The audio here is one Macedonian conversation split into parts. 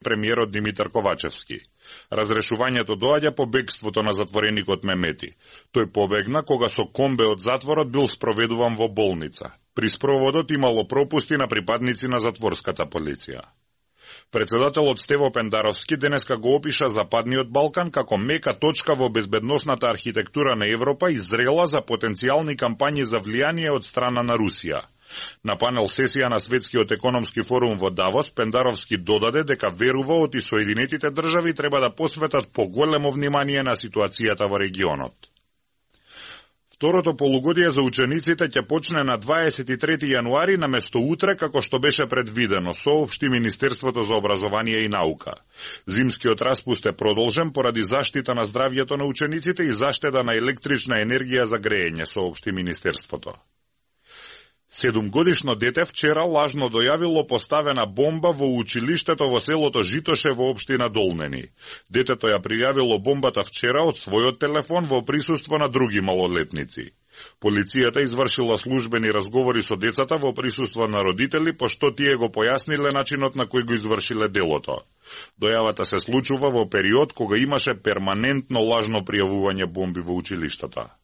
премиерот Димитар Ковачевски. Разрешувањето доаѓа по бегството на затвореникот Мемети. Тој побегна кога со комбе од затворот бил спроведуван во болница. При спроводот имало пропусти на припадници на затворската полиција. Председателот Стево Пендаровски денеска го опиша Западниот Балкан како мека точка во безбедносната архитектура на Европа и зрела за потенцијални кампањи за влијание од страна на Русија. На панел сесија на Светскиот економски форум во Давос, Пендаровски додаде дека верува оти Соединетите држави треба да посветат поголемо внимание на ситуацијата во регионот. Второто полугодие за учениците ќе почне на 23 јануари наместо утре како што беше предвидено, соопшти Министерството за образование и наука. Зимскиот распуст е продолжен поради заштита на здравјето на учениците и заштеда на електрична енергија за греење, соопшти Министерството. 7-годишно дете вчера лажно дојавило поставена бомба во училиштето во селото Житоше во општина Долнени. Детето ја пријавило бомбата вчера од својот телефон во присуство на други малолетници. Полицијата извршила службени разговори со децата во присуство на родители, пошто тие го појасниле начинот на кој го извршиле делото. Дојавата се случува во период кога имаше перманентно лажно пријавување бомби во училиштата.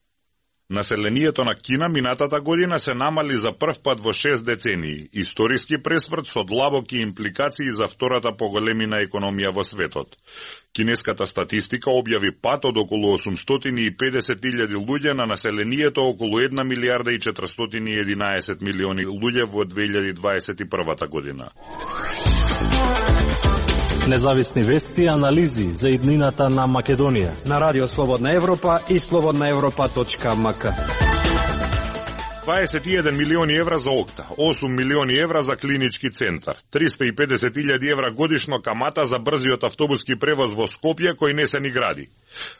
Населението на Кина минатата година се намали за прв пат во 6 децении, историски пресврт со длабоки импликации за втората поголемина економија во светот. Кинеската статистика објави пат од околу 850.000 луѓе на населението околу 1 милиарда и 411 милиони луѓе во 2021 година. Независни вести и анализи за иднината на Македонија на Радио Слободна Европа и slobodnaevropa.mk. 21 милиони евра за ОКТА, 8 милиони евра за клинички центар, 350.000 евра годишно камата за брзиот автобуски превоз во Скопје кој не се ни гради.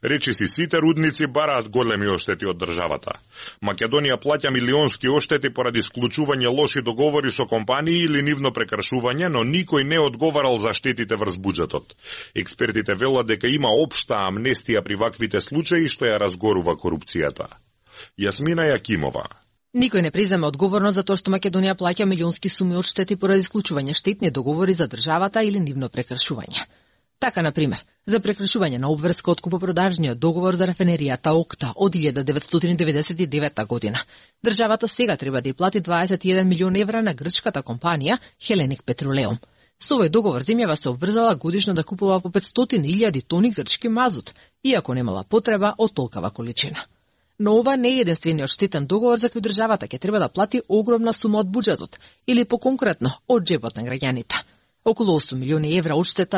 Речиси сите рудници бараат големи оштети од државата. Македонија плаќа милионски оштети поради склучување лоши договори со компании или нивно прекршување, но никој не одговарал за штетите врз буџетот. Експертите велат дека има општа амнестија при ваквите случаи што ја разгорува корупцијата. Јасмина Јакимова. Никој не презема одговорност за тоа што Македонија плаќа милионски суми од штети поради склучување штетни договори за државата или нивно прекршување. Така, например, за прекршување на обврска од купопродажниот договор за рафинеријата ОКТА од 1999 година. Државата сега треба да ја плати 21 милион евра на грчката компанија Hellenic Petroleum. Со овој договор земјава се обврзала годишно да купува по 500.000 тони грчки мазут, иако немала потреба од толкава количина. Но ова не е единствениот штетен договор за кој државата ќе треба да плати огромна сума од буџетот, или поконкретно од џебот на граѓаните. Околу 8 милиони евра одштета